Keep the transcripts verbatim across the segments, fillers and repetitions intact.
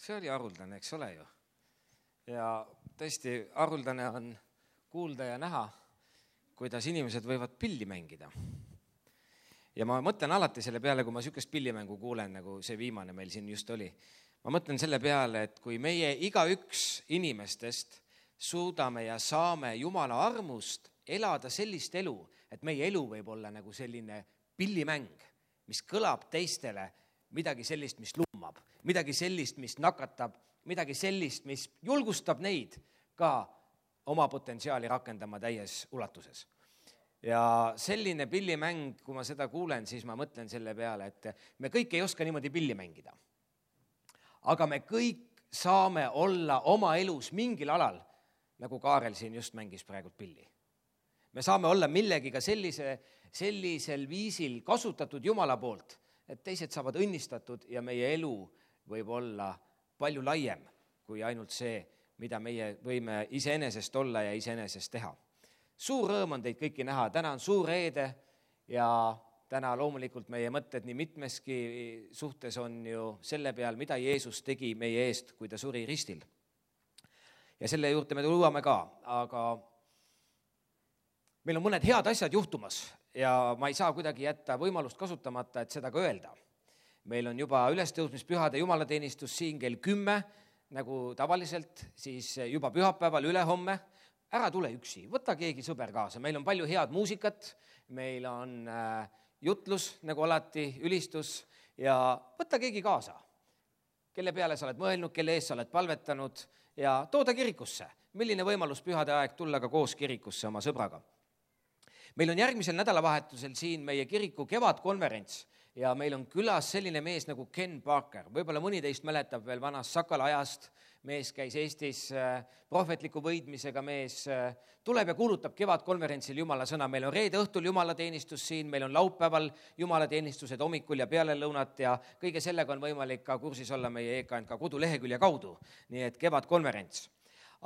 see oli haruldane, eks ole ju. Ja tõesti, haruldane on kuulda ja näha, kuidas inimesed võivad pilli mängida. Ja ma mõtlen alati selle peale, kui ma sükest pillimängu kuulen, nagu see viimane meil siin just oli. Ma mõtlen selle peale, et kui meie igaüks inimestest suudame ja saame Jumala armust elada sellist elu, et meie elu võib olla nagu selline pillimäng, mis kõlab teistele midagi sellist, mis lummab, midagi sellist, mis nakatab, midagi sellist, mis julgustab neid ka oma potentsiaali rakendama täies ulatuses. Ja selline pillimäng, kui ma seda kuulen, siis ma mõtlen selle peale, et me kõik ei oska niimoodi pilli mängida. Aga me kõik saame olla oma elus mingil alal, nagu Kaarel siin just mängis praegult pilli. Me saame olla millegiga sellise, sellisel viisil kasutatud Jumala poolt, et teised saavad õnnistatud ja meie elu võib olla palju laiem kui ainult see, mida meie võime iseenesest olla ja iseenesest teha. Suur rõõm on teid kõiki näha. Täna on suur reede ja täna loomulikult meie mõtted nii mitmeski suhtes on ju selle peal, mida Jeesus tegi meie eest, kui ta suri ristil. Ja selle juurde me tuleme ka, aga meil on mõned head asjad juhtumas ja ma ei saa kuidagi jätta võimalust kasutamata, et seda ka öelda. Meil on juba ülestõusmispühade jumalateenistus siin kell kümme, nagu tavaliselt, siis juba pühapäeval ülehomme. Ära tule üksi, võta keegi sõber kaasa. Meil on palju head muusikat, meil on jutlus, nagu alati, ülistus ja võta keegi kaasa, kelle peale sa oled mõelnud, kelle ees sa oled palvetanud ja tooda kirikusse. Milline võimalus pühade aeg tulla ka koos kirikusse oma sõbraga. Meil on järgmisel nädalavahetusel siin meie kiriku kevadkonverents ja meil on külas selline mees nagu Ken Parker. Võib-olla mõni teist mäletab veel vanast Sakala ajast. Mees käis Eestis prohvetliku võidmisega mees, tuleb ja kuulutab kevadkonverentsil Jumala sõna. Meil on reede õhtul jumalateenistus siin, meil on laupäeval jumalateenistused hommikul ja pealelõunat ja kõige sellega on võimalik ka kursis olla meie E K N K kodulehekülje kaudu. Nii et kevadkonverents.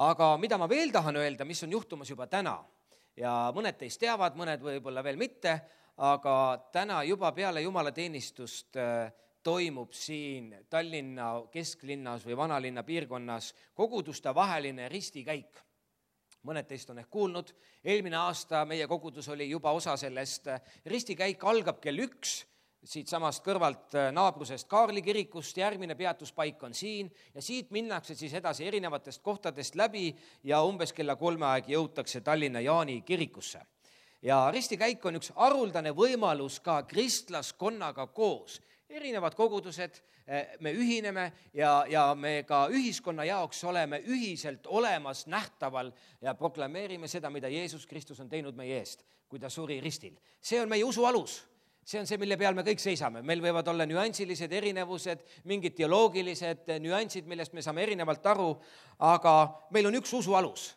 Aga mida ma veel tahan öelda, mis on juhtumas juba täna ja mõned teist teavad, mõned võib-olla veel mitte, aga täna juba peale jumalateenistust toimub siin Tallinna kesklinnas või vanalinna piirkonnas koguduste vaheline ristikäik. Mõned teist on ehk kuulnud. Eelmine aasta meie kogudus oli juba osa sellest. Ristikäik algab kell üks, siit samast kõrvalt naabrusest Kaarli kirikust. Järgmine peatuspaik on siin ja siit minnakse siis edasi erinevatest kohtadest läbi ja umbes kella kolme aeg jõutakse Tallinna Jaani kirikusse. Ja ristikäik on üks haruldane võimalus ka kristlaskonnaga koos. Erinevad kogudused, me ühineme ja, ja me ka ühiskonna jaoks oleme ühiselt olemas nähtaval ja proklameerime seda, mida Jeesus Kristus on teinud meie eest, kui ta suri ristil. See on meie usu alus. See on see, mille peal me kõik seisame. Meil võivad olla nüansilised erinevused, mingid teoloogilised nüansid, millest me saame erinevalt aru, aga meil on üks usu alus.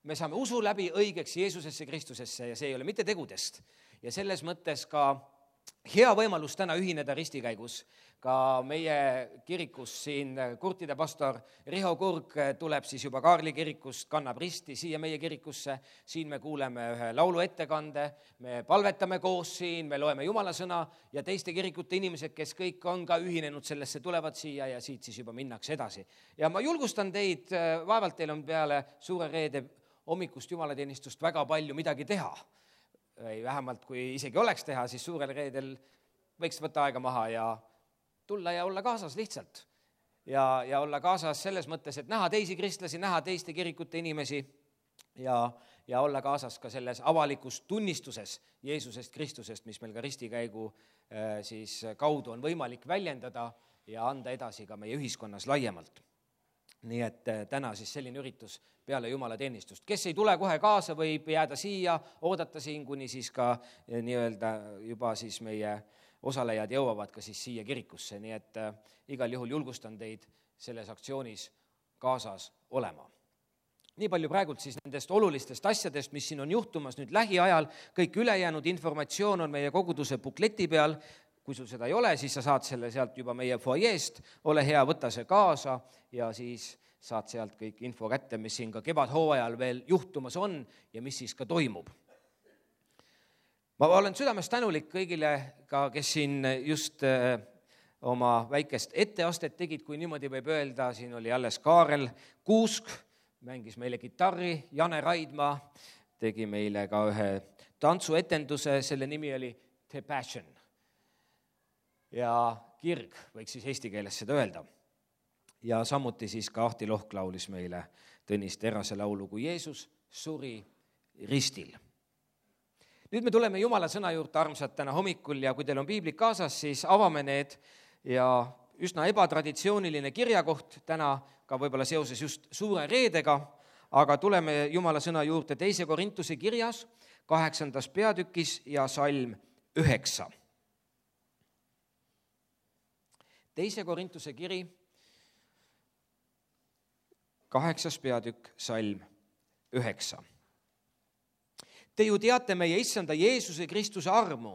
Me saame usu läbi õigeks Jeesusesse Kristusesse ja see ei ole mitte tegudest. Ja selles mõttes ka hea võimalus täna ühineda ristikäigus. Ka meie kirikus siin kurtide pastor Riho Kurg tuleb siis juba Kaarli kirikust, kannab risti siia meie kirikusse. Siin me kuuleme ühe laulu ettekande, me palvetame koos siin, me loeme Jumala sõna ja teiste kirikute inimesed, kes kõik on ka ühinenud sellesse, tulevad siia ja siit siis juba minnakse edasi. Ja ma julgustan teid, vaevalt teil on peale suure reede hommikust jumalateenistust väga palju midagi teha. Või vähemalt kui isegi oleks teha, siis suurel reedel võiks võtta aega maha ja tulla ja olla kaasas lihtsalt. Ja, ja olla kaasas selles mõttes, et näha teisi kristlasi, näha teiste kirikute inimesi ja, ja olla kaasas ka selles avalikus tunnistuses Jeesusest Kristusest, mis meil ka ristikäigu siis kaudu on võimalik väljendada ja anda edasi ka meie ühiskonnas laiemalt. Nii et täna siis selline üritus peale jumalateenistust. Kes ei tule kohe kaasa, võib jääda siia, oodata siin, kuni siis ka nii-öelda juba siis meie osalejad jõuavad ka siis siia kirikusse. Nii et igal juhul julgustan teid selles aktsioonis kaasas olema. Nii palju praegult siis nendest olulistest asjadest, mis siin on juhtumas nüüd lähiajal. Kõik ülejäänud informatsioon on meie koguduse bukleti peal. Kui sul seda ei ole, siis sa saad selle sealt juba meie foajeest, ole hea, võta see kaasa ja siis saad sealt kõik info kätte, mis siin ka kevadhooajal veel juhtumas on ja mis siis ka toimub. Ma olen südamest tänulik kõigile, ka, kes siin just oma väikest etteastet tegid, kui niimoodi võib öelda, siin oli alles Kaarel Kuusk, mängis meile kitarri, Jane Raidma tegi meile ka ühe tantsuetenduse, selle nimi oli The Passion. Ja kirg, võiks siis eesti keeles seda öelda. Ja samuti siis ka Ahti Lohk laulis meile Tõnis Terase laulu, kui Jeesus suri ristil. Nüüd me tuleme Jumala sõna juurde, armsad, täna hommikul ja kui teil on piiblid kaasas, siis avame need ja üsna ebatraditsiooniline kirjakoht täna ka võib-olla seoses just suure reedega, aga tuleme Jumala sõna juurde teise Korintuse kirjas, kaheksandas peatükis ja salm üheksa. Teise Korintuse kiri, kaheksas peatükk, salm üheksa. Te ju teate meie issanda Jeesuse Kristuse armu,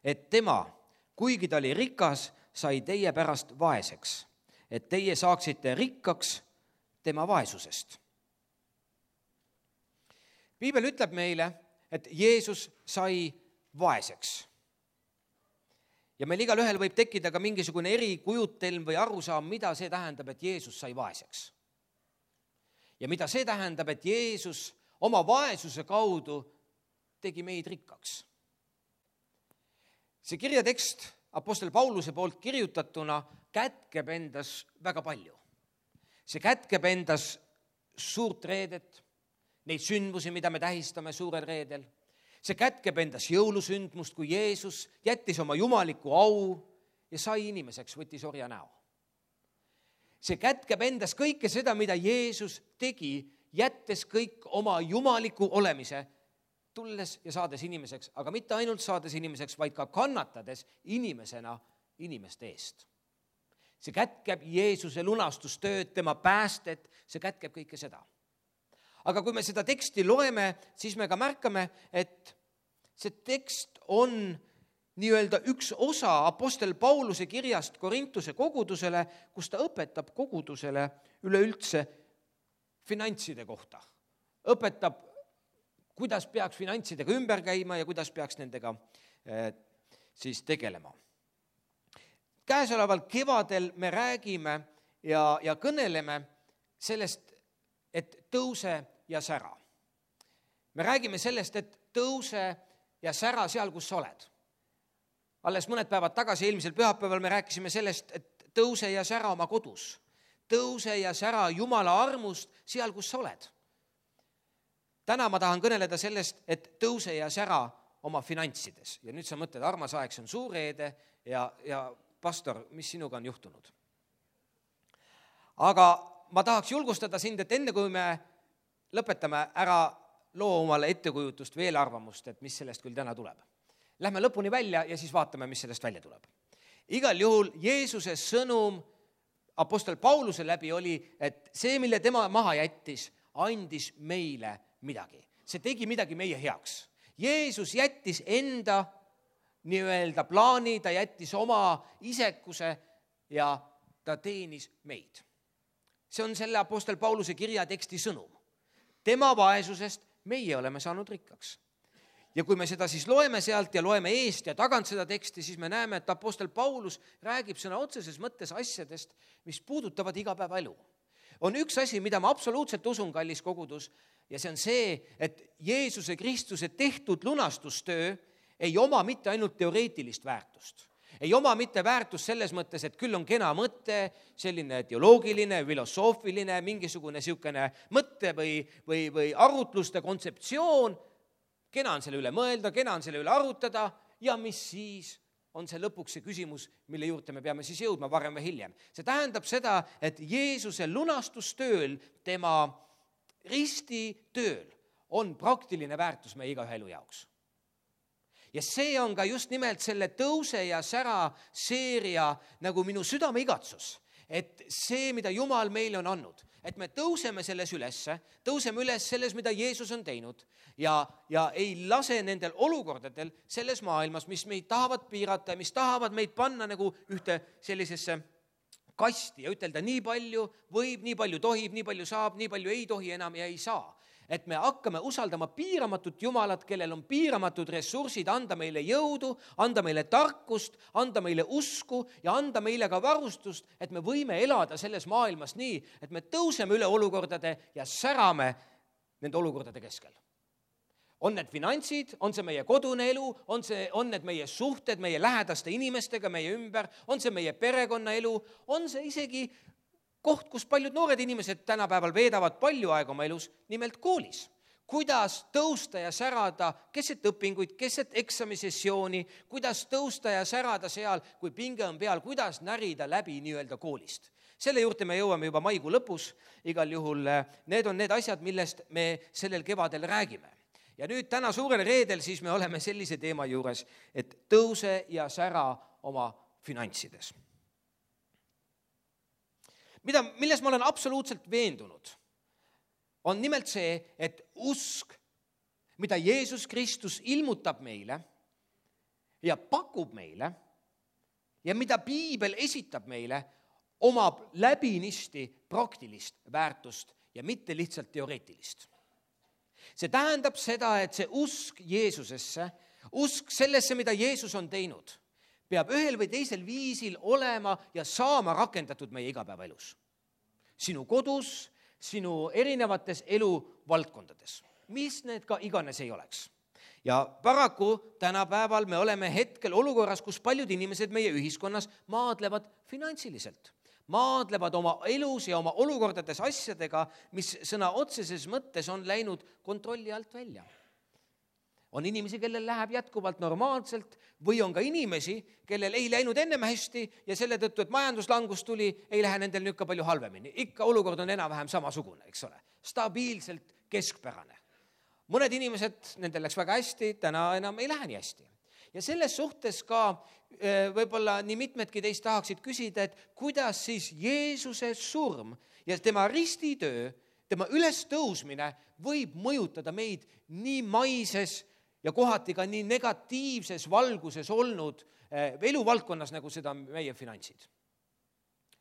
et tema, kuigi ta oli rikas, sai teie pärast vaeseks, et teie saaksite rikkaks tema vaesusest. Piibel ütleb meile, et Jeesus sai vaeseks. Ja meil igal ühel võib tekkida ka mingisugune erikujutelm või arusaam, mida see tähendab, et Jeesus sai vaeseks. Ja mida see tähendab, et Jeesus oma vaesuse kaudu tegi meid rikkaks. See kirjatekst apostel Pauluse poolt kirjutatuna kätkeb endas väga palju. See kätkeb endas suurt reedet, neid sündmusi, mida me tähistame suurel reedel. See kätkeb endas jõulusündmust, kui Jeesus jättis oma jumaliku au ja sai inimeseks, võttis orja näo. See kätkeb endas kõike seda, mida Jeesus tegi, jättes kõik oma jumaliku olemise, tulles ja saades inimeseks, aga mitte ainult saades inimeseks, vaid ka kannatades inimesena inimeste eest. See kätkeb Jeesuse lunastustööd, tema päästet, see kätkeb kõike seda. Aga kui me seda teksti loeme, siis me ka märkame, et see tekst on nii-öelda üks osa apostel Pauluse kirjast Korintuse kogudusele, kus ta õpetab kogudusele üleüldse finantside kohta. Õpetab, kuidas peaks finantsidega ümber käima ja kuidas peaks nendega eh, siis tegelema. Käesoleval kevadel me räägime ja, ja kõneleme sellest, et tõuse ja sära. Me räägime sellest, et tõuse ja sära seal, kus sa oled. Alles mõned päevad tagasi, eelmisel pühapäeval me rääkisime sellest, et tõuse ja sära oma kodus. Tõuse ja sära Jumala armust seal, kus sa oled. Täna ma tahan kõneleda sellest, et tõuse ja sära oma finantsides. Ja nüüd sa mõtled, armas aeg, see on suur reede ja, ja pastor, mis sinuga on juhtunud? Aga ma tahaks julgustada sind, et enne kui me lõpetame ära loo omale ettekujutust või eelarvamust, et mis sellest küll täna tuleb. Lähme lõpuni välja ja siis vaatame, mis sellest välja tuleb. Igal juhul Jeesuse sõnum apostel Pauluse läbi oli, et see, mille tema maha jättis, andis meile midagi. See tegi midagi meie heaks. Jeesus jättis enda nii-öelda plaani, ta jättis oma isekuse ja ta teenis meid. See on selle apostel Pauluse kirja teksti sõnum. Tema vaesusest meie oleme saanud rikkaks. Ja kui me seda siis loeme sealt ja loeme eest ja tagant seda teksti, siis me näeme, et apostel Paulus räägib sõna otseses mõttes asjadest, mis puudutavad igapäevaelu. On üks asi, mida ma absoluutselt usun, kallis kogudus, ja see on see, et Jeesuse Kristuse tehtud lunastustöö ei oma mitte ainult teoreetilist väärtust. Ei oma mitte väärtust selles mõttes, et küll on kena mõte, selline teoloogiline, filosoofiline, mingisugune siukene mõtte või, või, või arutluste kontseptsioon. Kena on selle üle mõelda, kena on selle üle arutada ja mis siis on see lõpuks see küsimus, mille juurde me peame siis jõudma varem või hiljem. See tähendab seda, et Jeesuse lunastustööl, tema ristitööl on praktiline väärtus meie igaühe elu jaoks. Ja see on ka just nimelt selle tõuse ja sära seeria nagu minu südame igatsus, et see, mida Jumal meile on andnud, et me tõuseme selles ülesse, tõuseme üles selles, mida Jeesus on teinud ja, ja ei lase nendel olukordadel selles maailmas, mis meid tahavad piirata ja mis tahavad meid panna nagu ühte sellisesse kasti ja ütelda nii palju võib, nii palju tohib, nii palju saab, nii palju ei tohi enam ja ei saa. et me hakkame usaldama piiramatut Jumalat, kellel on piiramatud ressursid anda meile jõudu, anda meile tarkust, anda meile usku ja anda meile ka varustust, et me võime elada selles maailmas nii, et me tõuseme üle olukordade ja särame nende olukordade keskel. On need finantsid, on see meie kodune elu, on see, on need meie suhted meie lähedaste inimestega meie ümber, on see meie perekonnaelu, on see isegi koht, kus paljud noored inimesed tänapäeval veedavad palju aega oma elus, nimelt koolis. Kuidas tõusta ja särada keset õpinguid, keset eksamisessiooni, kuidas tõusta ja särada seal, kui pinge on peal, kuidas närida läbi nii-öelda koolist. Selle juurde me jõuame juba maikuu lõpus, igal juhul need on need asjad, millest me sellel kevadel räägime. Ja nüüd täna suurel reedel siis me oleme sellise teema juures, et tõuse ja sära oma finantsides. Mida, milles ma olen absoluutselt veendunud, on nimelt see, et usk, mida Jeesus Kristus ilmutab meile ja pakub meile ja mida Piibel esitab meile, omab läbinisti praktilist väärtust ja mitte lihtsalt teoreetilist. See tähendab seda, et see usk Jeesusesse, usk sellesse, mida Jeesus on teinud, peab ühel või teisel viisil olema ja saama rakendatud meie igapäevaelus. Sinu kodus, sinu erinevates eluvaldkondades, mis need ka iganes ei oleks. Ja paraku tänapäeval me oleme hetkel olukorras, kus paljud inimesed meie ühiskonnas maadlevad finantsiliselt. Maadlevad oma elus ja oma olukordades asjadega, mis sõna otseses mõttes on läinud kontrolli alt välja. On inimesi, kellel läheb jätkuvalt normaalselt või on ka inimesi, kellel ei läinud ennem hästi ja selle tõttu, et majanduslangus tuli, ei lähe nendel nüüd ka palju halvemini. Ikka olukord on enam-vähem samasugune, eks ole. Stabiilselt keskpärane. Mõned inimesed, nendel läks väga hästi, täna enam ei lähe nii hästi. Ja selles suhtes ka võib-olla nii mitmedki teist tahaksid küsida, et kuidas siis Jeesuse surm ja tema ristitöö, tema ülestõusmine võib mõjutada meid nii maises ja kohati ka nii negatiivses valguses olnud eluvaldkonnas, nagu seda meie finantsid.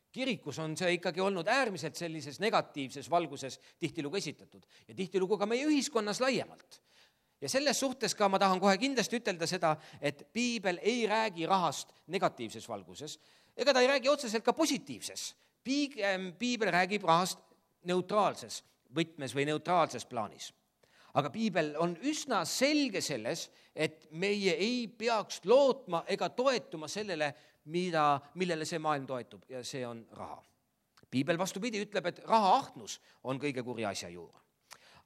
Kirikus on see ikkagi olnud äärmiselt sellises negatiivses valguses tihtilugu esitatud ja tihtilugu ka meie ühiskonnas laiemalt. Ja selles suhtes ka ma tahan kohe kindlasti ütelda seda, et Piibel ei räägi rahast negatiivses valguses, ega ta ei räägi otseselt ka positiivses. Piibel räägib rahast neutraalses võtmes või neutraalses plaanis. Aga Piibel on üsna selge selles, et meie ei peaks lootma ega toetuma sellele, mida, millele see maailm toetub, ja see on raha. Piibel vastupidi ütleb, et raha ahnus on kõige kurja asja juur.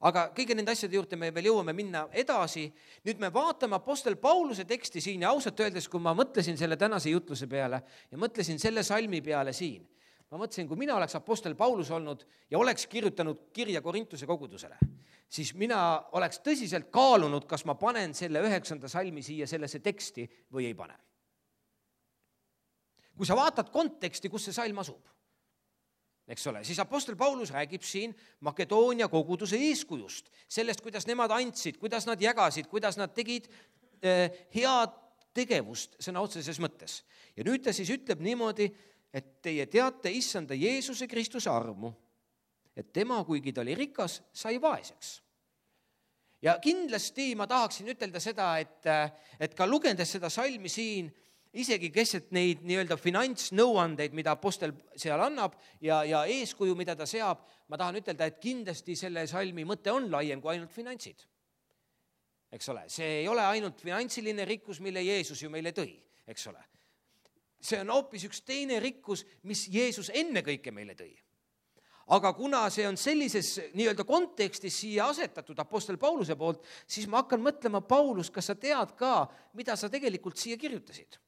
Aga kõige nende asjade juurde me veel jõuame minna edasi. Nüüd me vaatame apostel Pauluse teksti siin ja ausalt öeldes, kui ma mõtlesin selle tänase jutluse peale ja mõtlesin selle salmi peale siin, ma mõtlesin, kui mina oleks apostel Paulus olnud ja oleks kirjutanud kirja Korintuse kogudusele, siis mina oleks tõsiselt kaalunud, kas ma panen selle üheksanda salmi siia sellesse teksti või ei pane. Kui sa vaatad konteksti, kus see salm asub, eks ole, siis apostel Paulus räägib siin Makedoonia koguduse eeskujust, sellest, kuidas nemad andsid, kuidas nad jagasid, kuidas nad tegid eh, head tegevust sõna otseses mõttes. Ja nüüd ta siis ütleb niimoodi, et teie teate issanda Jeesuse Kristuse armu, et tema, kuigi ta oli rikas, sai vaeseks. Ja kindlasti ma tahaksin ütelda seda, et, et ka lugendes seda salmi siin, isegi keset neid nii-öelda finantsnõuandeid, mida apostel seal annab ja, ja eeskuju, mida ta seab, ma tahan ütelda, et kindlasti selle salmi mõte on laiem kui ainult finantsid. Eks ole, see ei ole ainult finantsiline rikkus, mille Jeesus ju meile tõi, eks ole. See on hoopis üks teine rikkus, mis Jeesus enne kõike meile tõi. Aga kuna see on sellises nii-öelda kontekstis siia asetatud apostel Pauluse poolt, siis ma hakkan mõtlema, Paulus, kas sa tead ka, mida sa tegelikult siia kirjutasid?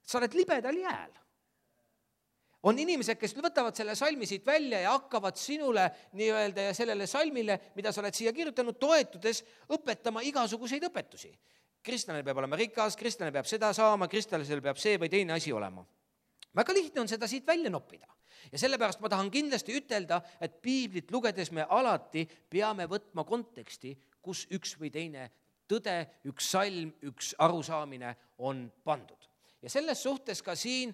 Sa oled libedal jääl. On inimesed, kes võtavad selle salmi siit välja ja hakkavad sinule nii-öelda ja sellele salmile, mida sa oled siia kirjutanud, toetudes õpetama igasuguseid õpetusi. Kristlane peab olema rikas, kristlane peab seda saama, kristlasel peab see või teine asi olema. Väga lihtne on seda siit välja noppida. Ja sellepärast ma tahan kindlasti ütelda, et piiblit lugedes me alati peame võtma konteksti, kus üks või teine tõde, üks salm, üks arusaamine on pandud. Ja selles suhtes ka siin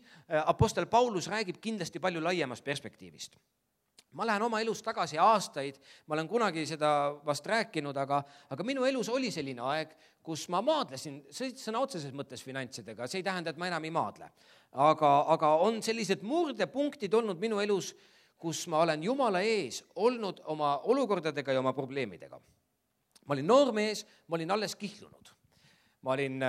apostel Paulus räägib kindlasti palju laiemast perspektiivist. ma lähen oma elus tagasi aastaid, ma olen kunagi seda vast rääkinud, aga, aga minu elus oli selline aeg, kus ma maadlesin sõna otseses mõttes finantsidega, see ei tähenda, et ma enam ei maadle. Aga, aga on sellised murdepunktid olnud minu elus, kus ma olen Jumala ees olnud oma olukordadega ja oma probleemidega. Ma olin noormees, ma olin alles kihlunud. Ma olin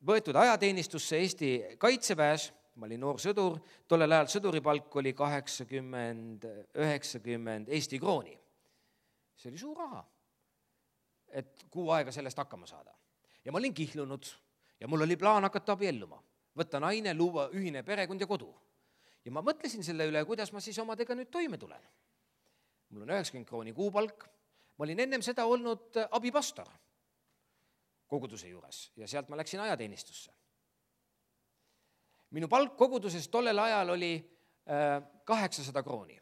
võetud ajateenistusse Eesti Kaitseväes, ma olin noor sõdur, tollel ajal sõduripalk oli kaheksakümmend, üheksakümmend Eesti krooni. See oli suur raha, et kuu aega sellest hakkama saada. Ja ma olin kihlunud ja mul oli plaan hakata abielluma, võtta naine, luua ühine perekond ja kodu. Ja ma mõtlesin selle üle, kuidas ma siis omadega nüüd toime tulen. Mul on üheksakümmend krooni kuupalk, ma olin ennem seda olnud abipastor koguduse juures ja sealt ma läksin ajateenistusse. Minu palk koguduses tollel ajal oli kaheksasada krooni.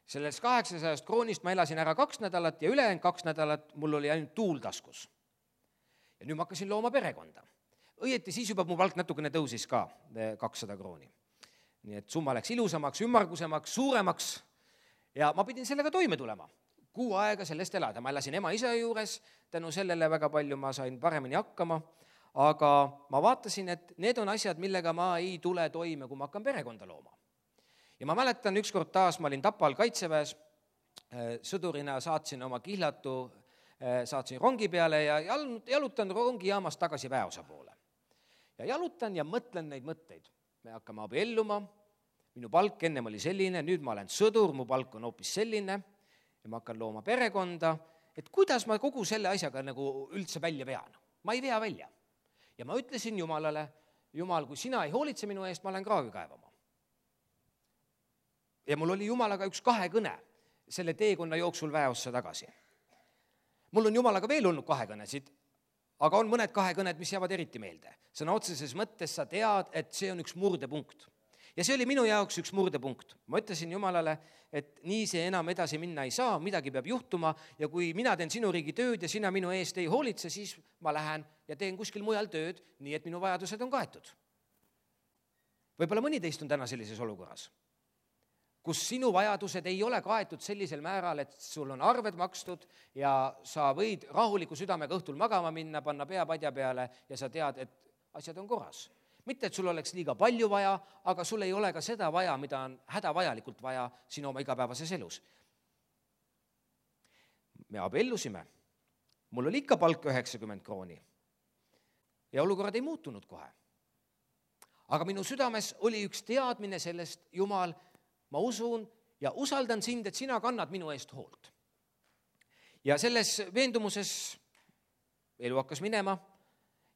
Sellest kaheksasajast kroonist ma elasin ära kaks nädalat ja ülejäänud kaks nädalat mul oli ainult tuul taskus. Ja nüüd ma hakkasin looma perekonda. Õieti siis juba mu palk natukene tõusis ka kakssada krooni. Nii et summa läks ilusamaks, ümmargusemaks, suuremaks ja ma pidin sellega toime tulema. Kuu aega sellest elada. Ma elasin ema isa juures, tänu sellele väga palju ma sain paremini hakkama. Aga ma vaatasin, et need on asjad, millega ma ei tule toime, kui ma hakkan perekonda looma. Ja ma mäletan, ükskord taas ma olin Tapal Kaitseväes, sõdurina saatsin oma kihlatu, saatsin rongi peale ja jalutan rongijaamast tagasi väeosa poole. Ja jalutan ja mõtlen neid mõtteid. Me hakkame abielluma, minu palk ennem oli selline, nüüd ma olen sõdur, mu palk on hoopis selline ja ma hakkan looma perekonda, et kuidas ma kogu selle asjaga nagu üldse välja vean. Ma ei vea välja. Ja ma ütlesin Jumalale, Jumal, kui sina ei hoolitse minu eest, ma lähen kraavi kaevama. Ja mul oli Jumalaga üks kahe kõne selle teekonna jooksul väeossa tagasi. Mul on Jumalaga veel olnud kahe kõnesid, aga on mõned kahe kõned, mis jäävad eriti meelde. Sõna otseses mõttes sa tead, et see on üks murdepunkt. Ja see oli minu jaoks üks murdepunkt. Ma ütlesin Jumalale, et nii see enam edasi minna ei saa, midagi peab juhtuma ja kui mina teen sinu riigi tööd ja sina minu eest ei hoolitse, siis ma lähen ja teen kuskil mujal tööd, nii et minu vajadused on kaetud. Võib-olla mõni teist on täna sellises olukorras, kus sinu vajadused ei ole kaetud sellisel määral, et sul on arved makstud ja sa võid rahuliku südamega õhtul magama minna, panna pea padja peale ja sa tead, et asjad on korras. Mitte, et sul oleks liiga palju vaja, aga sul ei ole ka seda vaja, mida on hädavajalikult vaja sinu oma igapäevases elus. Me abiellusime. Mul oli ikka palk üheksakümmend krooni. Ja olukorrad ei muutunud kohe. Aga minu südames oli üks teadmine sellest, Jumal, ma usun ja usaldan sind, et sina kannad minu eest hoolt. Ja selles veendumuses elu hakkas minema.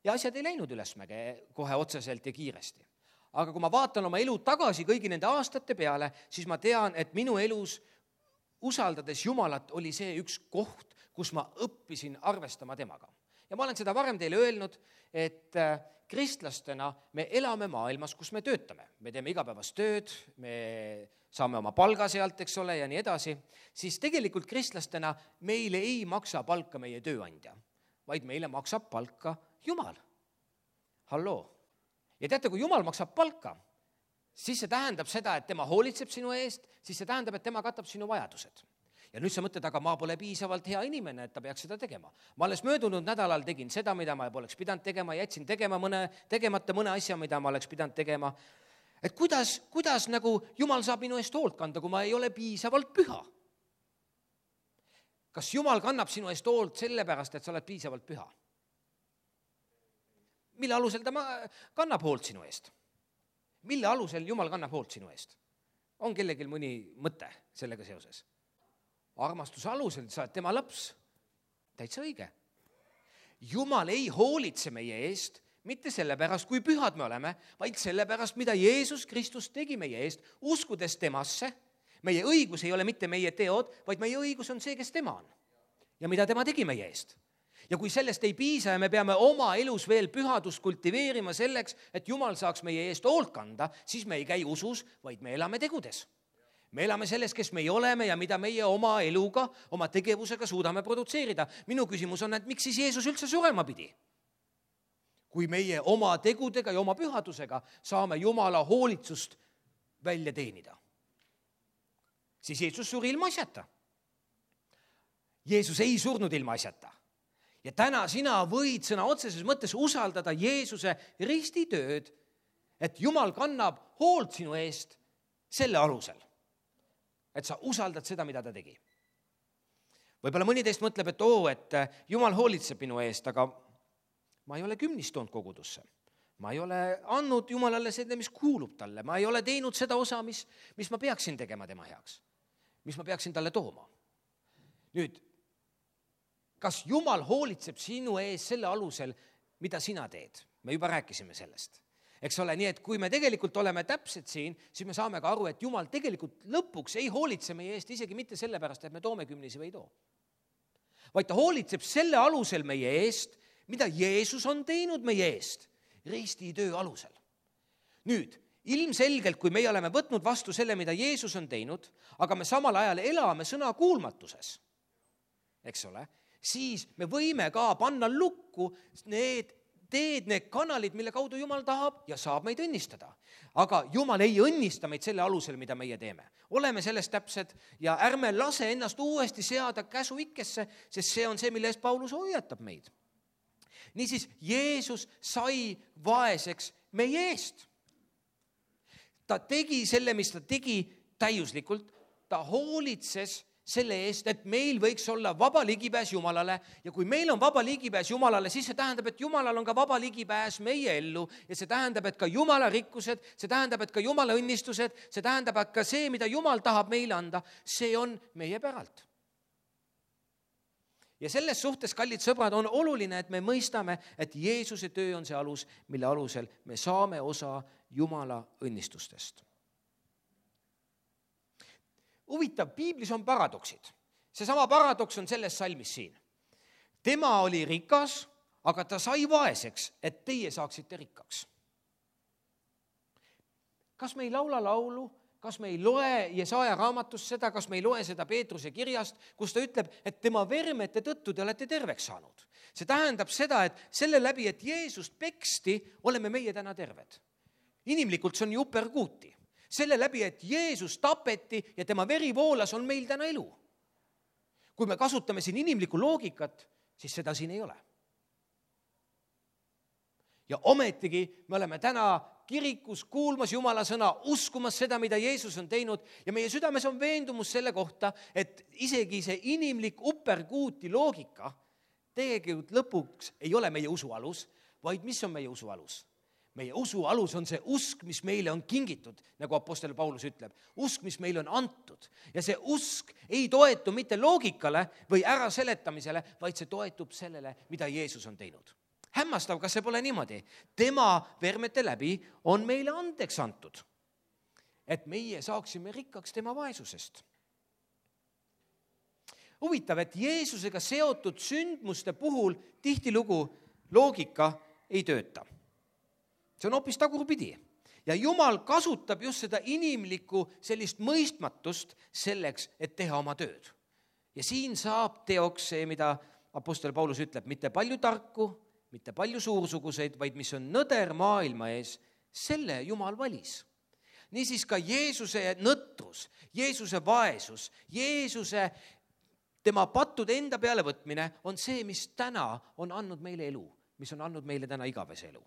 Ja asjad ei läinud ülesmäge kohe otseselt ja kiiresti. Aga kui ma vaatan oma elu tagasi kõigi nende aastate peale, siis ma tean, et minu elus usaldades Jumalat oli see üks koht, kus ma õppisin arvestama temaga. Ja ma olen seda varem teile öelnud, et kristlastena me elame maailmas, kus me töötame. Me teeme igapäevast tööd, me saame oma palga sealt, eks ole, ja nii edasi. Siis tegelikult kristlastena meile ei maksa palka meie tööandja, vaid meile maksab palka Jumal. Halloo. Ja teate, kui Jumal maksab palka, siis see tähendab seda, et tema hoolitseb sinu eest, siis see tähendab, et tema katab sinu vajadused. Ja nüüd sa mõtled, aga ma pole piisavalt hea inimene, et ta peaks seda tegema. Ma alles möödunud nädalal tegin seda, mida ma poleks pidanud tegema, jätsin tegema mõne, tegemata mõne asja, mida ma oleks pidanud tegema. Et kuidas, kuidas nagu Jumal saab minu eest hoolt kanda, kui ma ei ole piisavalt püha? Kas Jumal kannab sinu eest hoolt sellepärast, et sa oled piisavalt püha? Mille alusel ta kannab hoolt sinu eest? Mille alusel Jumal kannab hoolt sinu eest? On kellelgi mõni mõte sellega seoses? Armastuse alusel sa oled tema laps. Täitsa õige. Jumal ei hoolitse meie eest, mitte sellepärast, kui pühad me oleme, vaid sellepärast, mida Jeesus Kristus tegi meie eest, uskudes temasse. Meie õigus ei ole mitte meie teod, vaid meie õigus on see, kes tema on. Ja mida tema tegi meie eest. Ja kui sellest ei piisa ja me peame oma elus veel pühadust kultiveerima selleks, et Jumal saaks meie eest hoolt kanda, siis me ei käi usus, vaid me elame tegudes. Me elame selles, kes meie oleme ja mida meie oma eluga, oma tegevusega suudame produtseerida. Minu küsimus on, et miks siis Jeesus üldse surema pidi? Kui meie oma tegudega ja oma pühadusega saame Jumala hoolitsust välja teenida. siis Jeesus suri ilma asjata. Jeesus ei surnud ilma asjata. Ja täna sina võid sõna otseses mõttes usaldada Jeesuse ristitööd, et Jumal kannab hoolt sinu eest selle alusel, et sa usaldad seda, mida ta tegi. Võib-olla mõni teist mõtleb, et oo, et Jumal hoolitseb minu eest, aga ma ei ole kümnist toonud kogudusse. Ma ei ole andnud Jumalale seda, mis kuulub talle. Ma ei ole teinud seda osa, mis, mis ma peaksin tegema tema heaks. Mis ma peaksin talle tooma. Nüüd, kas Jumal hoolitseb sinu ees selle alusel, mida sina teed? Me juba rääkisime sellest. Eks ole, nii et kui me tegelikult oleme täpsed siin, siis me saame ka aru, et Jumal tegelikult lõpuks ei hoolitse meie eest isegi mitte sellepärast, et me toome kümnisi või ei too. Vaid ta hoolitseb selle alusel meie eest, mida Jeesus on teinud meie eest, ristitöö alusel. Nüüd, ilmselgelt, kui meie oleme võtnud vastu selle, mida Jeesus on teinud, aga me samal ajal elame sõna kuulmatuses, eks ole, siis me võime ka panna lukku need teed, need kanalid, mille kaudu Jumal tahab ja saab meid õnnistada. Aga Jumal ei õnnista meid selle alusel, mida meie teeme. Oleme sellest täpsed ja ärme lase ennast uuesti seada käsu ikkesse, sest see on see, mille eest Paulus hoiatab meid. Niisiis, Jeesus sai vaeseks meie eest. Ta tegi selle, mis ta tegi täiuslikult, ta hoolitses selle eest, et meil võiks olla vaba ligipääs Jumalale ja kui meil on vaba ligipääs Jumalale, siis see tähendab, et Jumalal on ka vaba ligipääs meie ellu ja see tähendab, et ka Jumala rikkused, see tähendab, et ka Jumala õnnistused, see tähendab, et ka see, mida Jumal tahab meile anda, see on meie päralt. Ja selles suhtes, kallid sõbrad, on oluline, et me mõistame, et Jeesuse töö on see alus, mille alusel me saame osa Jumala õnnistustest. Huvitav, piiblis on paradoksid. Seesama paradoks on selles salmis siin. Tema oli rikas, aga ta sai vaeseks, et teie saaksite rikkaks. Kas me ei laula laulu, kas me ei loe Jesaja raamatust seda, kas me ei loe seda Peetruse kirjast, kus ta ütleb, et tema vermete tõttu te olete terveks saanud. See tähendab seda, et selle läbi, et Jeesust peksti, oleme meie täna terved. Inimlikult see on ju uperkuuti. Selle läbi, et Jeesus tapeti ja tema veri voolas, on meil täna elu. Kui me kasutame siin inimlikku loogikat, siis seda siin ei ole. Ja ometigi me oleme täna kirikus kuulmas Jumala sõna, uskumas seda, mida Jeesus on teinud ja meie südames on veendumus selle kohta, et isegi see inimlik uperkuuti loogika tegelikult lõpuks ei ole meie usu alus, vaid mis on meie usu alus? Meie usu alus on see usk, mis meile on kingitud, nagu apostel Paulus ütleb. Usk, mis meile on antud. Ja see usk ei toetu mitte loogikale või ära seletamisele, vaid see toetub sellele, mida Jeesus on teinud. Hämmastav, kas see pole niimoodi? Tema vermete läbi on meile andeks antud, et meie saaksime rikkaks tema vaesusest. Huvitav, et Jeesusega seotud sündmuste puhul tihtilugu loogika ei tööta. See on hoopis tagurpidi. Ja Jumal kasutab just seda inimlikku sellist mõistmatust selleks, et teha oma tööd. Ja siin saab teoks see, mida apostel Paulus ütleb, mitte palju tarku, mitte palju suursuguseid, vaid mis on nõder maailma ees, selle Jumal valis. Niisiis ka Jeesuse nõtrus, Jeesuse vaesus, Jeesuse tema pattude enda peale võtmine on see, mis täna on andnud meile elu, mis on andnud meile täna igavese elu.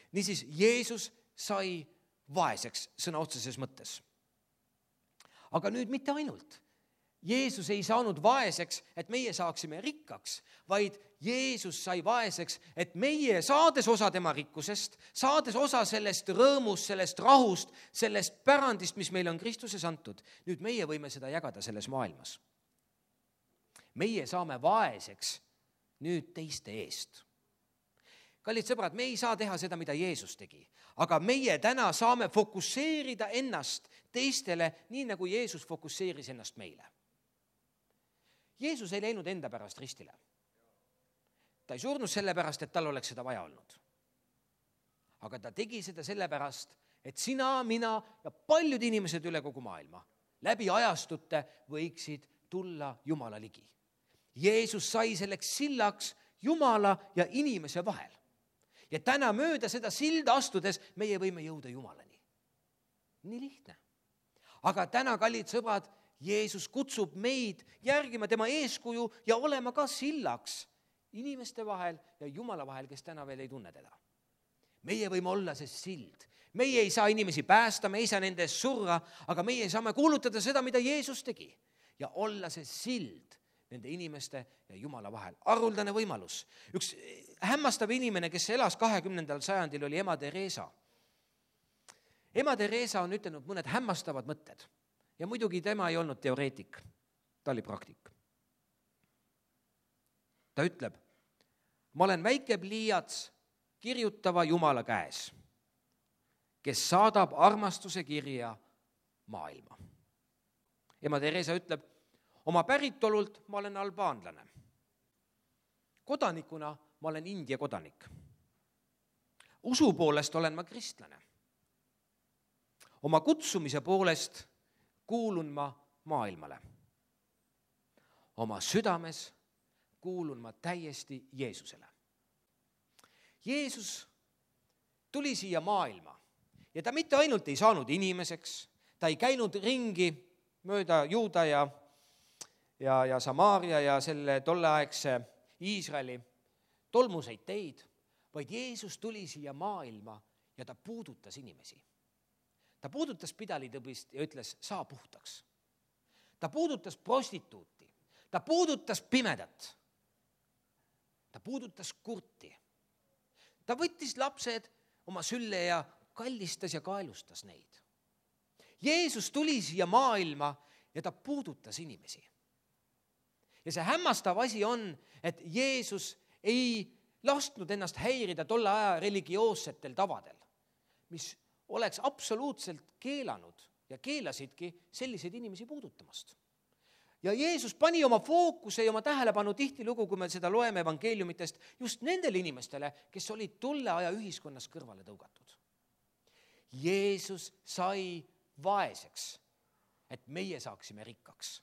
Niisiis, Jeesus sai vaeseks sõna otseses mõttes. Aga nüüd mitte ainult. Jeesus ei saanud vaeseks, et meie saaksime rikkaks, vaid Jeesus sai vaeseks, et meie saades osa tema rikkusest, saades osa sellest rõõmust, sellest rahust, sellest pärandist, mis meil on Kristuses antud, nüüd meie võime seda jagada selles maailmas. Meie saame vaeseks nüüd teiste eest. Kallid sõbrad, me ei saa teha seda, mida Jeesus tegi, aga meie täna saame fokusseerida ennast teistele, nii nagu Jeesus fokusseeris ennast meile. Jeesus ei läinud enda pärast ristile. Ta ei surnud selle pärast, et tal oleks seda vaja olnud. Aga ta tegi seda selle pärast, et sina, mina ja paljud inimesed üle kogu maailma läbi ajastute võiksid tulla Jumala ligi. Jeesus sai selleks sillaks Jumala ja inimese vahel. Ja täna mööda seda silda astudes meie võime jõuda Jumalani. Nii lihtne. Aga täna, kallid sõbrad, Jeesus kutsub meid järgima tema eeskuju ja olema ka sillaks inimeste vahel ja Jumala vahel, kes täna veel ei tunne teda. Meie võime olla see sild. Meie ei saa inimesi päästa, me ei saa nende eest surra, aga meie saame kuulutada seda, mida Jeesus tegi ja olla see sild nende inimeste ja Jumala vahel. Haruldane võimalus. Üks hämmastav inimene, kes elas kahekümnendal sajandil, oli ema Teresa. Ema Teresa on ütelnud mõned hämmastavad mõtted ja muidugi tema ei olnud teoreetik, ta oli praktik. Ta ütleb, ma olen väike pliiats kirjutava Jumala käes, kes saadab armastuse kirja maailma. Ema Teresa ütleb, oma päritolult ma olen albaanlane. Kodanikuna ma olen India kodanik. Usu poolest olen ma kristlane. Oma kutsumise poolest kuulun ma maailmale. Oma südames kuulun ma täiesti Jeesusele. Jeesus tuli siia maailma ja ta mitte ainult ei saanud inimeseks, ta ei käinud ringi mööda Juuda ja, ja, ja Samaaria ja selle tolleaegse Iisraeli tolmuseid teid, vaid Jeesus tuli siia maailma ja ta puudutas inimesi. Ta puudutas pidalitõbist ja ütles, saa puhtaks. Ta puudutas prostituuti, ta puudutas pimedat, ta puudutas kurti. Ta võttis lapsed oma sülle ja kallistas ja kaelustas neid. Jeesus tuli siia maailma ja ta puudutas inimesi. Ja see hämmastav asi on, et Jeesus ei lasknud ennast häirida tolle aja religioossetel tavadel, mis oleks absoluutselt keelanud ja keelasidki selliseid inimesi puudutamast. Ja Jeesus pani oma fookuse ja oma tähelepanu tihtilugu, kui me seda loeme evangeeliumitest, just nendele inimestele, kes olid tolle aja ühiskonnas kõrvale tõugatud. Jeesus sai vaeseks, et meie saaksime rikkaks.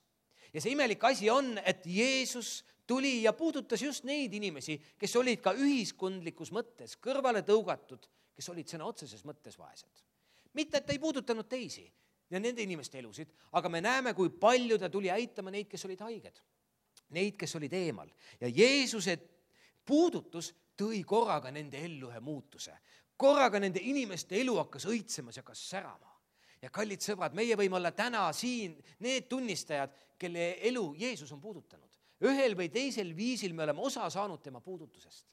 Ja see imelik asi on, et Jeesus tuli ja puudutas just neid inimesi, kes olid ka ühiskondlikus mõttes kõrvale tõugatud, kes olid sõna otseses mõttes vaesed. Mitte, et ta ei puudutanud teisi ja nende inimeste elusid, aga me näeme, kui palju ta tuli aitama neid, kes olid haiged, neid, kes olid eemal. Ja Jeesuse puudutus tõi korraga nende ellu ühe muutuse. Korraga nende inimeste elu hakkas õitsemas ja hakkas särama. Ja kallid sõbrad, meie võime olla täna siin need tunnistajad, kelle elu Jeesus on puudutanud. Ühel või teisel viisil me oleme osa saanud tema puudutusest.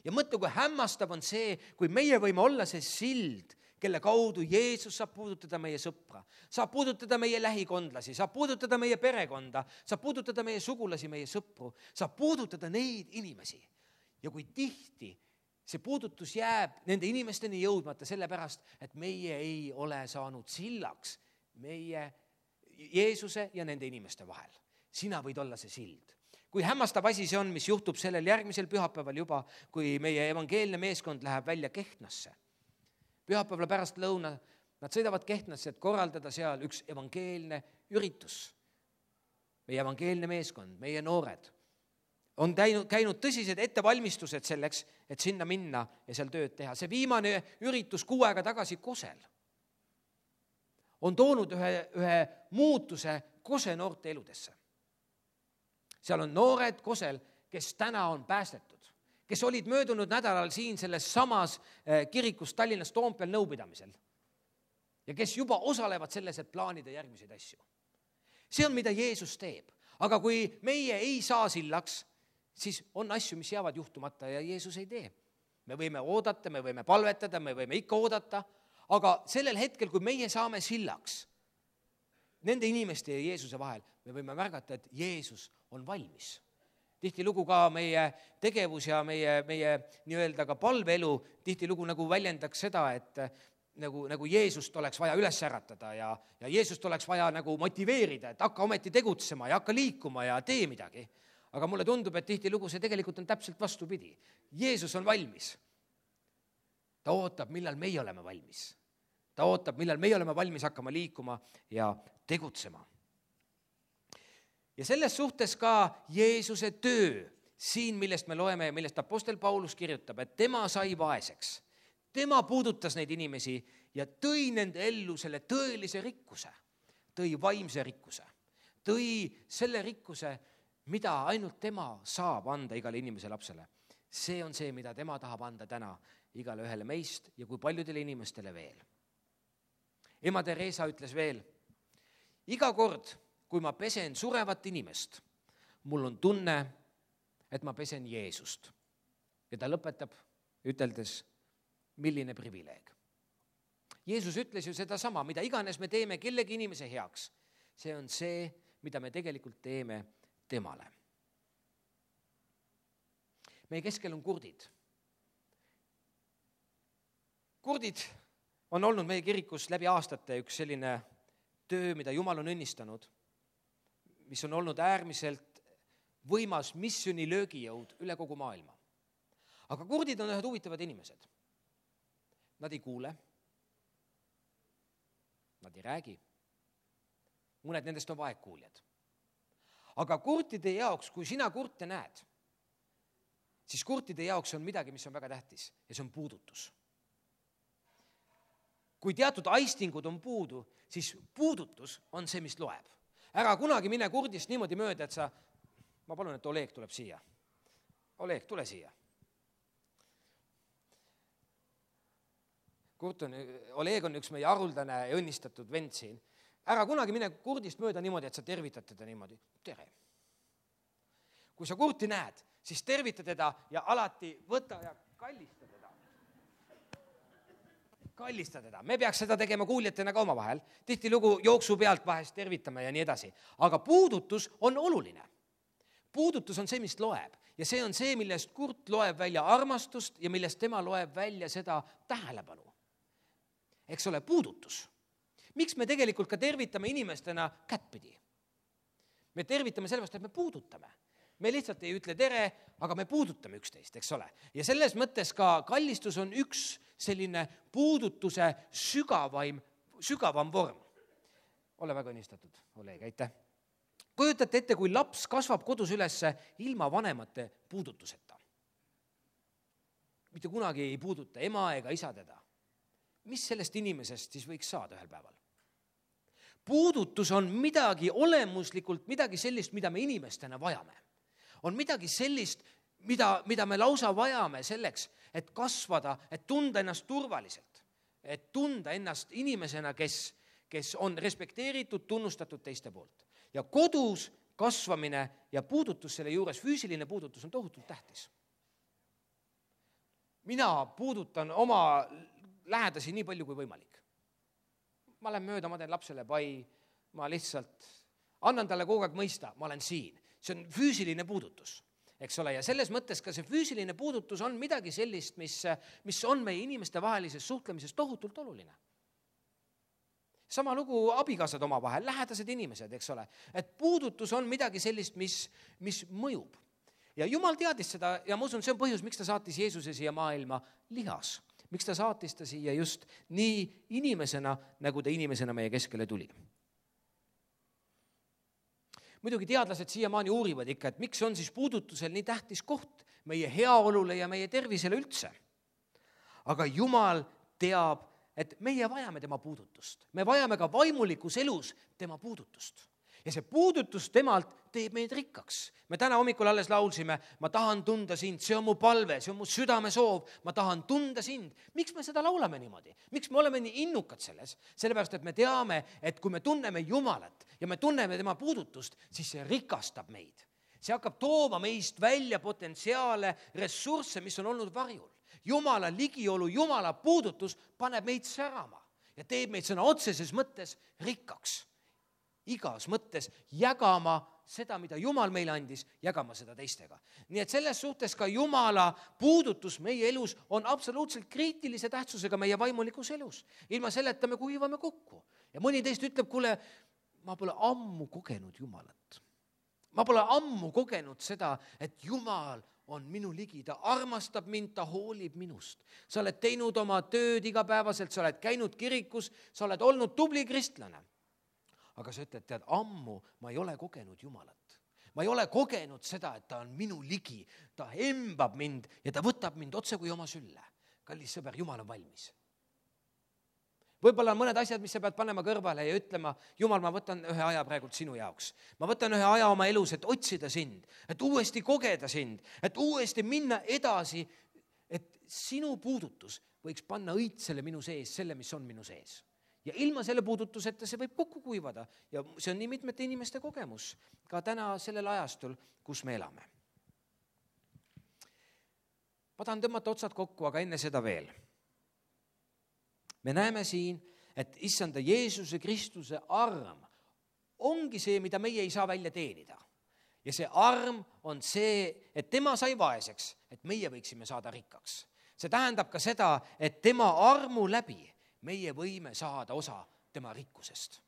Ja mõtle, kui hämmastav on see, kui meie võime olla see sild, kelle kaudu Jeesus saab puudutada meie sõpra, saab puudutada meie lähikondlasi, saab puudutada meie perekonda, saab puudutada meie sugulasi, meie sõpru, saab puudutada neid inimesi. Ja kui tihti see puudutus jääb nende inimesteni jõudmata sellepärast, et meie ei ole saanud sillaks meie Jeesuse ja nende inimeste vahel. Sina võid olla see sild. Kui hämmastav asi see on, mis juhtub sellel järgmisel pühapäeval juba, kui meie evangeelne meeskond läheb välja Kehtnasse. Pühapäeval pärast lõuna, nad sõidavad Kehtnasse, et korraldada seal üks evangeelne üritus. Meie evangeelne meeskond, meie noored on käinud, käinud tõsised ettevalmistused selleks, et sinna minna ja seal tööd teha. See viimane üritus kuu aega tagasi Kosel on toonud ühe, ühe muutuse Kose noorte eludesse. Seal on noored Kosel, kes täna on päästetud, kes olid möödunud nädalal siin selles samas kirikus Tallinnas Toompeal nõupidamisel ja kes juba osalevad selles, et plaanida järgmiseid asju. See on, mida Jeesus teeb. Aga kui meie ei saa sillaks, siis on asju, mis jäävad juhtumata ja Jeesus ei tee. Me võime oodata, me võime palvetada, me võime ikka oodata, aga sellel hetkel, kui meie saame sillaks nende inimeste ja Jeesuse vahel, me võime märgata, et Jeesus on valmis. Tihtilugu ka meie tegevus ja meie, meie nii-öelda ka palveelu tihtilugu nagu väljendaks seda, et nagu, nagu Jeesust oleks vaja üles äratada ja, ja Jeesust oleks vaja nagu motiveerida, et hakka ometi tegutsema ja hakka liikuma ja tee midagi. Aga mulle tundub, et tihtilugu see tegelikult on täpselt vastupidi. Jeesus on valmis. Ta ootab, millal meie oleme valmis. Ta ootab, millal meie oleme valmis hakkama liikuma ja tegutsema. Ja selles suhtes ka Jeesuse töö, siin millest me loeme ja millest apostel Paulus kirjutab, et tema sai vaeseks. Tema puudutas neid inimesi ja tõi nende ellu selle tõelise rikkuse, tõi vaimse rikkuse. tõi selle rikkuse, mida ainult tema saab anda igale inimese lapsele. See on see, mida tema tahab anda täna igale ühele meist ja kui paljudele inimestele veel. Ema Teresa ütles veel, iga kord, kui ma pesen surevat inimest, mul on tunne, et ma pesen Jeesust. Ja ta lõpetab üteldes, milline privileeg. Jeesus ütles ju seda sama, mida iganes me teeme kellegi inimese heaks. See on see, mida me tegelikult teeme temale. Meie keskel on kurdid. Kurdid on olnud meie kirikus läbi aastate üks selline töö, mida Jumal on õnnistanud, mis on olnud äärmiselt võimas missiooni löögijõud üle kogu maailma. Aga kurdid on ühed huvitavad inimesed. Nad ei kuule, nad ei räägi, mõned nendest on vaegkuuljad. Aga kurtide jaoks, kui sina kurte näed, siis kurtide jaoks on midagi, mis on väga tähtis ja see on puudutus. Kui teatud aistingud on puudu, siis puudutus on see, mis loeb. Ära kunagi mine kurdist niimoodi mööda, et sa, ma palun, et Oleg tuleb siia. Oleg, tule siia. Kurt on, Oleg on üks meie haruldane ja õnnistatud vend siin. Ära kunagi mine kurdist mööda niimoodi, et sa tervitad teda niimoodi. Tere. Kui sa kurti näed, siis tervita teda ja alati võta ja kallista teda. Kallista teda. Me peaks seda tegema kuuljatena ka oma vahel. Tihti lugu jooksu pealt vahest tervitame ja nii edasi. Aga puudutus on oluline. Puudutus on see, mis loeb. Ja see on see, millest kurt loeb välja armastust ja millest tema loeb välja seda tähelepanu. Eks ole, puudutus. Miks me tegelikult ka tervitame inimestena kättpidi? Me tervitame sellepärast, et me puudutame. Me lihtsalt ei ütle tere, aga me puudutame üksteist, eks ole. Ja selles mõttes ka kallistus on üks selline puudutuse sügavaim, sügavam vorm. Ole väga õnnistatud, Oleg, aitäh. Kujutate ette, kui laps kasvab kodus ülesse ilma vanemate puudutuseta. Mitte kunagi ei puuduta ema ega isa teda. Mis sellest inimesest siis võiks saada ühel päeval? Puudutus on midagi olemuslikult, midagi sellist, mida me inimestena vajame. On midagi sellist, mida, mida me lausa vajame selleks, et kasvada, et tunda ennast turvaliselt, et tunda ennast inimesena, kes, kes on respekteeritud, tunnustatud teiste poolt. Ja kodus kasvamine ja puudutus selle juures, füüsiline puudutus on tohutult tähtis. Mina puudutan oma lähedasi nii palju kui võimalik. Ma lähen mööda, ma teen lapsele pai, ma lihtsalt annan talle kogu aeg mõista, ma olen siin. See on füüsiline puudutus, eks ole, ja selles mõttes ka see füüsiline puudutus on midagi sellist, mis, mis on meie inimeste vahelises suhtlemises tohutult oluline. Sama lugu abikaasad oma vahel, lähedased inimesed, eks ole, et puudutus on midagi sellist, mis, mis mõjub. Ja Jumal teadis seda ja ma usun, see on põhjus, miks ta saatis Jeesuse siia maailma lihas. Miks ta saatis ta siia just nii inimesena, nagu ta inimesena meie keskele tuli. Muidugi teadlased siiamaani uurivad ikka, et miks on siis puudutusel nii tähtis koht meie heaolule ja meie tervisele üldse. Aga Jumal teab, et meie vajame tema puudutust. Me vajame ka vaimulikus elus tema puudutust. Ja see puudutus temalt teeb meid rikkaks. Me täna hommikul alles laulsime, ma tahan tunda sind, see on mu palve, see on mu südame soov, ma tahan tunda sind. Miks me seda laulame niimoodi? Miks me oleme nii innukad selles? Sellepärast, et me teame, et kui me tunneme Jumalat ja me tunneme tema puudutust, siis see rikastab meid. See hakkab tooma meist välja potentsiaale, ressursse, mis on olnud varjul. Jumala ligiolu, Jumala puudutus paneb meid särama ja teeb meid sõna otseses mõttes rikkaks. Igas mõttes jagama seda, mida Jumal meile andis, jagama seda teistega. Nii et selles suhtes ka Jumala puudutus meie elus on absoluutselt kriitilise tähtsusega meie vaimulikus elus. Ilma selleta me kuivame kokku. Ja mõni teist ütleb, kuule, ma pole ammu kogenud Jumalat. Ma pole ammu kogenud seda, et Jumal on minu ligi, ta armastab mind, ta hoolib minust. Sa oled teinud oma tööd igapäevaselt, sa oled käinud kirikus, sa oled olnud tubli kristlane. Aga sa ütled, tead, ammu ma ei ole kogenud Jumalat. Ma ei ole kogenud seda, et ta on minu ligi, ta embab mind ja ta võtab mind otse kui oma sülle. Kallis sõber, Jumal on valmis. võib-olla on mõned asjad, mis sa pead panema kõrvale ja ütlema, Jumal, ma võtan ühe aja praegult sinu jaoks. Ma võtan ühe aja oma elus, et otsida sind, et uuesti kogeda sind, et uuesti minna edasi, et sinu puudutus võiks panna õitsele minu sees, selle, mis on minu sees. Ja ilma selle puudutuseta see võib kokku kuivada ja see on nii mitmete inimeste kogemus ka täna sellel ajastul, kus me elame. Ma tahan tõmmata otsad kokku, aga enne seda veel. Me näeme siin, et issanda Jeesuse Kristuse arm ongi see, mida meie ei saa välja teenida. Ja see arm on see, et tema sai vaeseks, et meie võiksime saada rikkaks. See tähendab ka seda, et tema armu läbi meie võime saada osa tema rikkusest.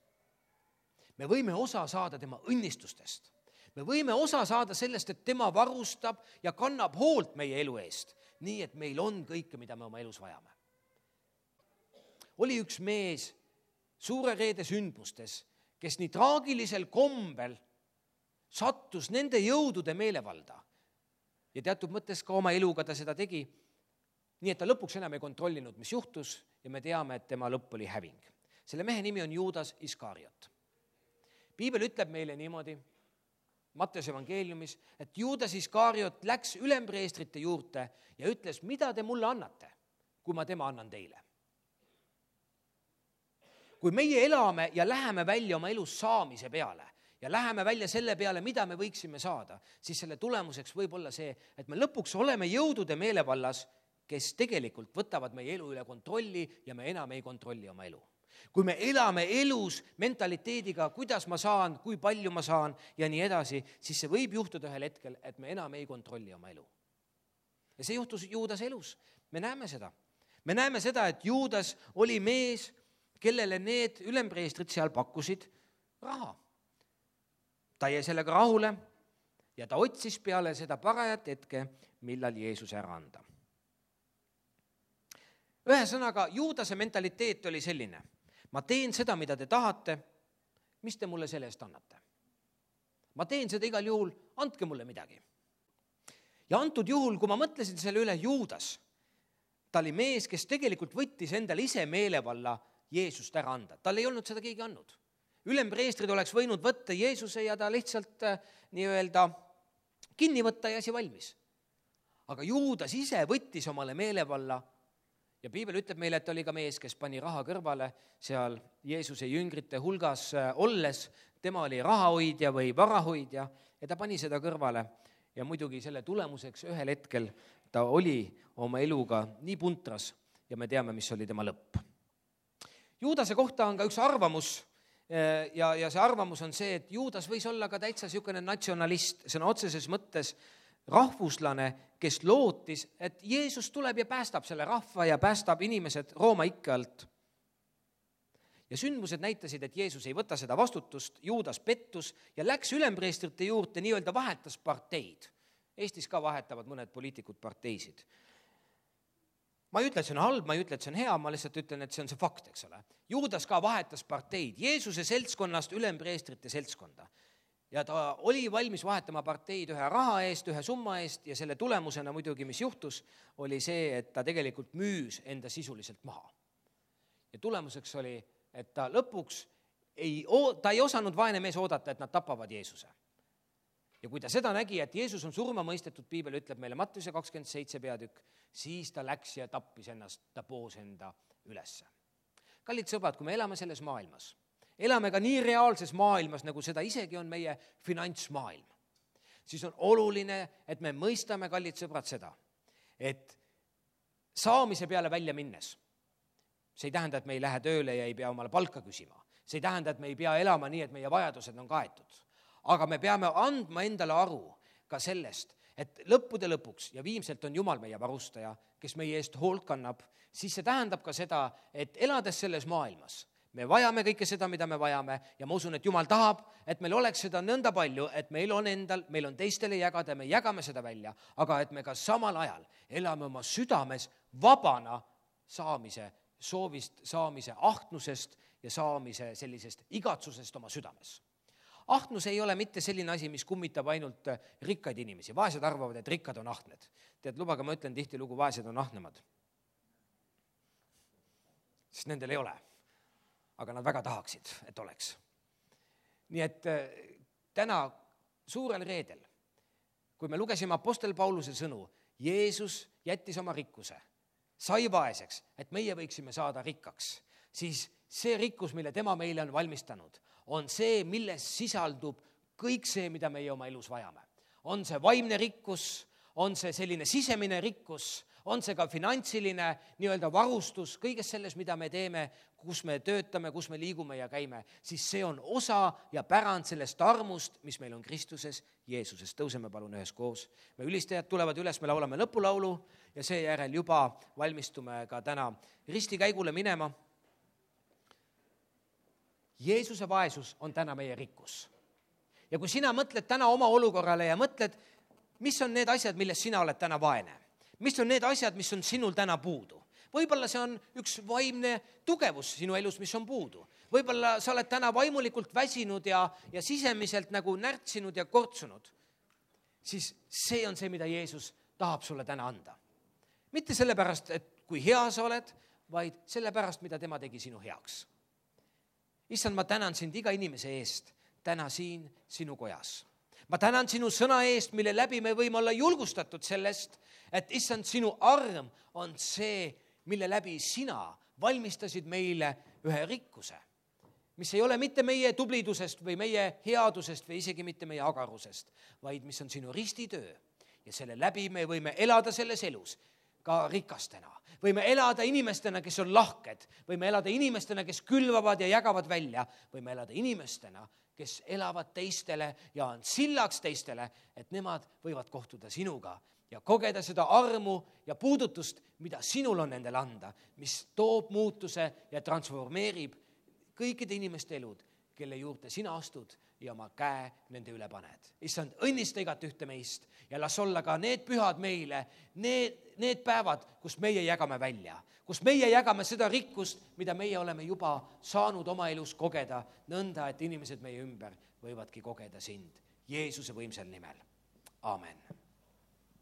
Me võime osa saada tema õnnistustest. Me võime osa saada sellest, et tema varustab ja kannab hoolt meie elu eest, nii et meil on kõike, mida me oma elus vajame. Oli üks mees suure reede sündmustes, kes nii traagilisel kombel sattus nende jõudude meelevalda. Ja teatud mõttes ka oma eluga ta seda tegi, nii et ta lõpuks enam ei kontrollinud, mis juhtus ja me teame, et tema lõpp oli häving. Selle mehe nimi on Juudas Iskariot. Piibel ütleb meile niimoodi, Matteuse evangeeliumis, et Juudas Iskariot läks ülempreestrite juurde ja ütles, mida te mulle annate, kui ma tema annan teile. Kui meie elame ja läheme välja oma elus saamise peale ja läheme välja selle peale, mida me võiksime saada, siis selle tulemuseks võib olla see, et me lõpuks oleme jõudude meelevallas, kes tegelikult võtavad meie elu üle kontrolli ja me enam ei kontrolli oma elu. Kui me elame elus mentaliteediga, kuidas ma saan, kui palju ma saan ja nii edasi, siis see võib juhtuda ühel hetkel, et me enam ei kontrolli oma elu. Ja see juhtus Juudas elus. Me näeme seda. Me näeme seda, et Juudas oli mees, kellele need ülempreestrid seal pakkusid raha. Ta jäi sellega rahule ja ta otsis peale seda parajat hetke, millal Jeesus ära anda. Ühesõnaga, Juudase mentaliteet oli selline. Ma teen seda, mida te tahate, mis te mulle selle eest annate. Ma teen seda igal juhul, andke mulle midagi. Ja antud juhul, kui ma mõtlesin selle üle, Juudas, ta oli mees, kes tegelikult võttis endale ise meelevalla Jeesust ära anda. Tal ei olnud seda keegi andnud. Ülempreestrid oleks võinud võtta Jeesuse ja ta lihtsalt nii-öelda kinni võtta ja asi valmis. Aga Juudas ise võttis omale meelevalla ja Piibel ütleb meile, et oli ka mees, kes pani raha kõrvale seal Jeesuse jüngrite hulgas olles. Tema oli rahahoidja või varahoidja ja ta pani seda kõrvale ja muidugi selle tulemuseks ühel hetkel ta oli oma eluga nii puntras ja me teame, mis oli tema lõpp. Juudase kohta on ka üks arvamus ja, ja see arvamus on see, et Juudas võis olla ka täitsa niisugune natsionalist, sõna otseses mõttes rahvuslane, kes lootis, et Jeesus tuleb ja päästab selle rahva ja päästab inimesed Rooma ikke alt. Ja sündmused näitasid, et Jeesus ei võta seda vastutust, Juudas pettus ja läks ülempreestrite juurde, nii-öelda vahetas parteid. Eestis ka vahetavad mõned poliitikud parteisid. Ma ei ütle, et see on halb, ma ei ütle, et see on hea, ma lihtsalt ütlen, et see on see fakt, eks ole. Juudas ka vahetas parteid, Jeesuse seltskonnast ülempreestrite seltskonda. Ja ta oli valmis vahetama parteid ühe raha eest, ühe summa eest ja selle tulemusena muidugi, mis juhtus, oli see, et ta tegelikult müüs enda sisuliselt maha. Ja tulemuseks oli, et ta lõpuks ei, ta ei osanud vaene mees oodata, et nad tapavad Jeesuse. Ja kui ta seda nägi, et Jeesus on surma mõistetud, Piibel ütleb meile Matteuse kakskümmend seitse peatükk, siis ta läks ja tappis ennast, ta poos enda ülesse. Kallid sõbrad, kui me elame selles maailmas, elame ka nii reaalses maailmas, nagu seda isegi on meie finantsmaailm, siis on oluline, et me mõistame, kallid sõbrad, seda, et saamise peale välja minnes, see ei tähenda, et me ei lähe tööle ja ei pea omale palka küsima, see ei tähenda, et me ei pea elama nii, et meie vajadused on kaetud. Aga me peame andma endale aru ka sellest, et lõppude lõpuks ja viimselt on Jumal meie varustaja, kes meie eest hoolt kannab, siis see tähendab ka seda, et elades selles maailmas, me vajame kõike seda, mida me vajame ja ma usun, et Jumal tahab, et meil oleks seda nõnda palju, et meil on endal, meil on teistele jagada, me jagame seda välja, aga et me ka samal ajal elame oma südames vabana saamise, soovist saamise ahnusest ja saamise sellisest igatsusest oma südames. Ahnus ei ole mitte selline asi, mis kummitab ainult rikkaid inimesi. Vaesed arvavad, et rikkad on ahned. Tead, lubaga ma ütlen tihti lugu, vaesed on ahnemad. Sest nendel ei ole. aga nad väga tahaksid, et oleks. Nii et täna suurel reedel, kui me lugesime Apostel Pauluse sõnu, Jeesus jättis oma rikkuse, sai vaeseks, et meie võiksime saada rikkaks, siis see rikkus, mille tema meile on valmistanud, on see, milles sisaldub kõik see, mida meie oma elus vajame. On see vaimne rikkus, on see selline sisemine rikkus, on see ka finantsiline nii-öelda varustus, kõiges selles, mida me teeme, kus me töötame, kus me liigume ja käime, siis see on osa ja pärand sellest armust, mis meil on Kristuses, Jeesuses. Tõuseme palun ühes koos. Me ülistajad tulevad üles, me laulame lõpulaulu ja seejärel juba valmistume ka täna ristikäigule minema. Jeesuse vaesus on täna meie rikkus. Ja kui sina mõtled täna oma olukorrale ja mõtled, mis on need asjad, milles sina oled täna vaene, mis on need asjad, mis on sinul täna puudu. Võib-olla see on üks vaimne tugevus sinu elus, mis on puudu. Võib-olla sa oled täna vaimulikult väsinud ja, ja sisemiselt nagu närtsinud ja kortsunud. Siis see on see, mida Jeesus tahab sulle täna anda. Mitte sellepärast, et kui hea sa oled, vaid sellepärast, mida tema tegi sinu heaks. Issand, ma tänan sind iga inimese eest, täna siin sinu kojas. Ma tänan sinu sõna eest, mille läbi me võime olla julgustatud sellest, et issand, sinu arm on see, mille läbi sina valmistasid meile ühe rikkuse, mis ei ole mitte meie tublidusest või meie headusest või isegi mitte meie agarusest, vaid mis on sinu ristitöö. Ja selle läbi me võime elada selles elus ka rikastena. Võime elada inimestena, kes on lahked. Võime elada inimestena, kes külvavad ja jagavad välja. Võime elada inimestena, kes elavad teistele ja on sillaks teistele, et nemad võivad kohtuda sinuga ja kogeda seda armu ja puudutust, mida sinul on nendele anda, mis toob muutuse ja transformeerib kõikide inimeste elud, kelle juurde sina astud ja oma käe nende üle paned. Issand, õnnista igat ühte meist ja las olla ka need pühad meile, need, need päevad, kus meie jagame välja, kus meie jagame seda rikkust, mida meie oleme juba saanud oma elus kogeda, nõnda, et inimesed meie ümber võivadki kogeda sind Jeesuse võimsal nimel. Aamen.